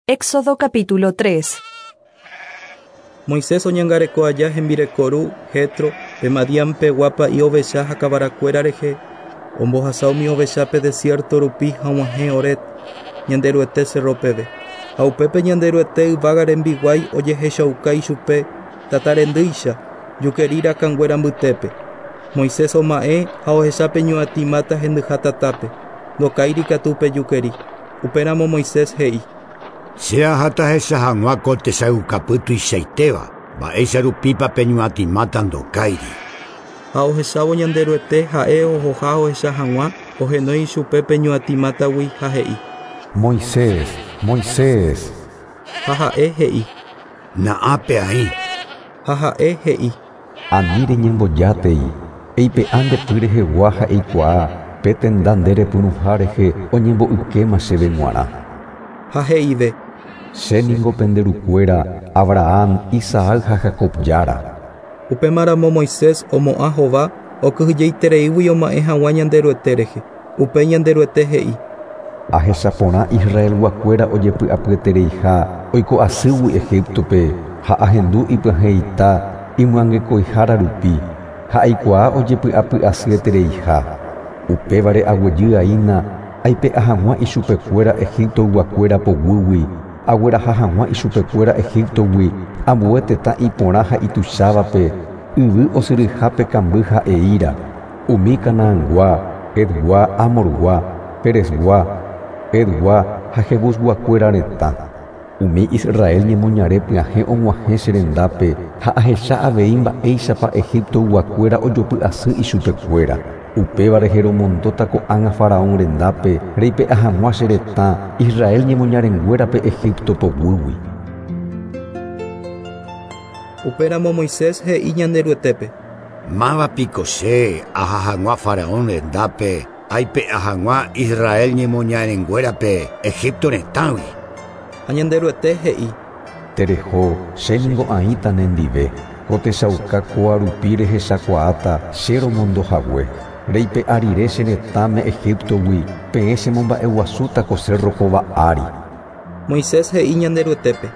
Éxodo capítulo 3. Moisés oñangareko aja hembireko ru, Jetro, pe Madián-pegua pa'i ovecha ha kavarakuéra rehe, ombohasa umi ovecha pe desierto rupi ha og̃uahẽ Horeb, Ñanderuete cerro peve. Ha upépe Ñanderuete yvága rembiguái ojehechauka ichupe tata rendýicha, jukeri rakãnguéra mbytépe. Moisés oma'ẽ ha ohecha pe ñuatĩ máta hendyha tatápe, ndokáiri katu pe jukeri. Upéramo Moisés he'i: Che aháta ahecha hag̃ua ko tesaukapy tuichaitéva, mba'éicha rupípa pe ñuatĩ máta ndokáiri. Ha ohechávo Ñanderuete ha'e ohoha ohecha hag̃ua, ohenói ichupe pe ñuatĩ mátagui ha he'i: Moisés, Moisés. Ha ha'e he'i: Na'ápe aĩ. Ha ha'e he'i: Ani reñembojátei, eipe'a nde py rehegua ha eikuaa pe tenda nde repyrũha rehe oñembo'ykéma chéve g̃uarã. Ha he'ive: Che ningo pende rukuéra, Abraham, Isaac ha Jacob Jára. Upémaramo Moisés omo'ã hova okyhyjeitereígui oma'ẽ hag̃ua Ñanderuete rehe. Upéi Ñanderuete he'i: Ahecha porã Israelguakuéra ojepy'apyetereiha oiko asýgui Egiptope ha ahendu ipyahẽita imyangekõihára rupi ha aikuaa ojepy'apy'asyetereiha. Upévare aguejy'aína aipe'a hag̃ua ichupekuéra Egiptoyguakuéra poguýgui, agueraha hag̃ua ichupekuéra Egiptogui ambue tetã iporã ha ituichávape, yvy osyryhápe kamby ha eíra, umi Canaangua, Hetgua, Amorgua, Perezgua, Hetgua ha Jebusguakuéra retã. Umi Israel ñemoñare pyahẽ og̃uahẽ che rendápe ha ahecha avei mba'éichapa Egiptoyguakuéra ojopy'asy ichupekuéra. Upéva rehe romondóta ko'ág̃a Faraón rendápe reipe'a hag̃ua che retã Israel ñemoñarenguérape Egipto poguýgui. Upéramo Moisés he'i Ñanderuetépe: Máva piko che aha hag̃ua Faraón rendápe aipe'a hag̃ua Israel ñemoñarenguérape Egipto retãgui. Ha Ñanderuete he'i: Tereho, che ningo aĩta nendive, ko techauka kóa rupi rehechakuaáta che romondohague. Reipe'a rire che retãme Egiptogui, peẽ chemomba'eguasúta ko cerro kóva ári. Moisés he'i Ñanderuetépe: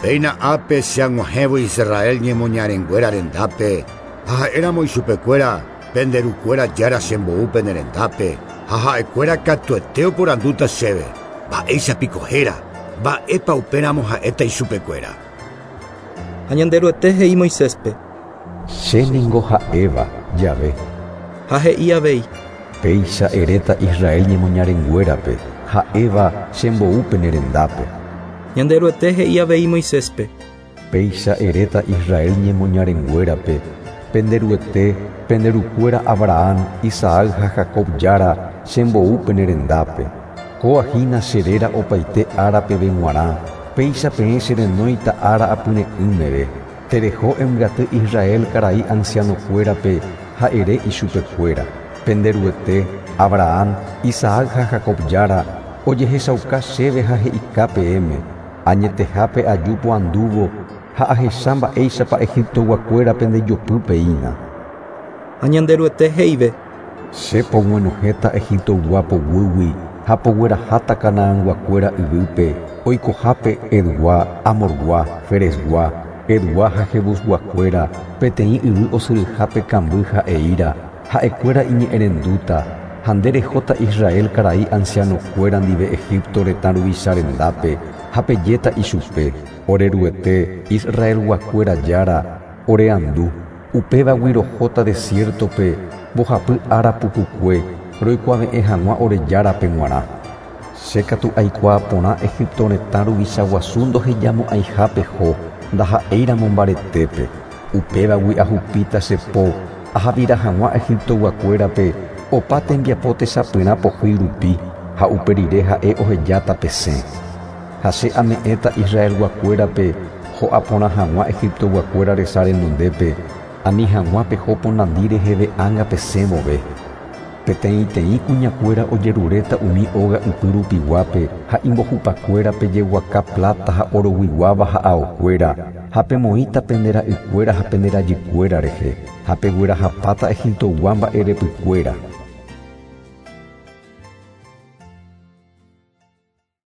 Péina ápe che ag̃uahẽvo Israel ñemoñarenguéra rendápe, ha ha'éramo ichupekuéra pende rukuéra Jára chembou pene rendápe, ha ha'ekuéra katuete oporandúta chéve, mba'éicha piko héra, mba'épa upéramo ha'éta ichupekuéra. Ha Ñanderuete he'i Moiséspe: Che ningo ha'éva, Yahvé. Ha he'i avei: Péicha eréta Israel ñemoñarenguérape, ha'éva chembou pene rendápe. Ñanderuete he'i avei Moiséspe: Péicha eréta Israel ñemoñarenguérape, pende Ruete, pende rukuéra Abraham, Isaac ha Jacob Jára chembou pene rendápe. Kóa hína che réra opaite ára peve g̃uarã, péicha peẽ cherenóita ára apyre'ỹmeve. Tereho embyaty Israel karai ancianokuérape ha ere ichupekuéra. Pende Ruete, Abraham, Isaac ha Jacob Jára ojehechauka chéve ha he'ika peẽme, añetehápe aju poandúvo ha ahecha mba'éichapa Egiptoguakuéra pendejopypeína. Ha Ñanderuete he'ive: Che pog̃uenohẽta Egiptoygua poguýgui ha pogueraháta Canaanguakuéra yvýpe, oikohápe Hetgua, Amorgua, Ferezgua, Hetgua ha Jebusguakuéra, peteĩ yvy osyryhápe kamby ha eíra, ha'ekuéra iñe'ẽrendúta, ha nde rehóta Israel karai ancianokuéra ndive Egipto retã ruvicha rendápe ha pejéta ichupe, ore Ruete, Israelguakuéra Jára, oreandu, upévagui rohóta desiertope mbohapy ára pukukue roikuave'ẽ hag̃ua ore Járape g̃uarã. Che katu aikuaa porã Egipto retã ruvicha guasu ndohejamo'ãiha peho, ndaha'éiramo mbaretépe. Upévagui ahupíta che po, ahavira hag̃ua Egiptoguakuérape opa tembiapo techapyrã pohýi rupi, ha upe rire ha'e ohejáta pesẽ. Ha che ame'ẽta Israelguakuérape ho'a porã hag̃ua Egiptoguakuéra resa renondépe, ani hag̃ua peho ponandi reheve ág̃a pesẽ vove. Peteĩteĩ kuñakuéra ojeruréta umi óga ypy rupiguápe ha imbohupakuérape jeguaka plata ha oroguiguáva ha aokuéra, ha pemoĩta pende ra'ykuéra ha pende rajykuéra rehe, ha peguerahapáta Egiptogua mba'erepykuéra.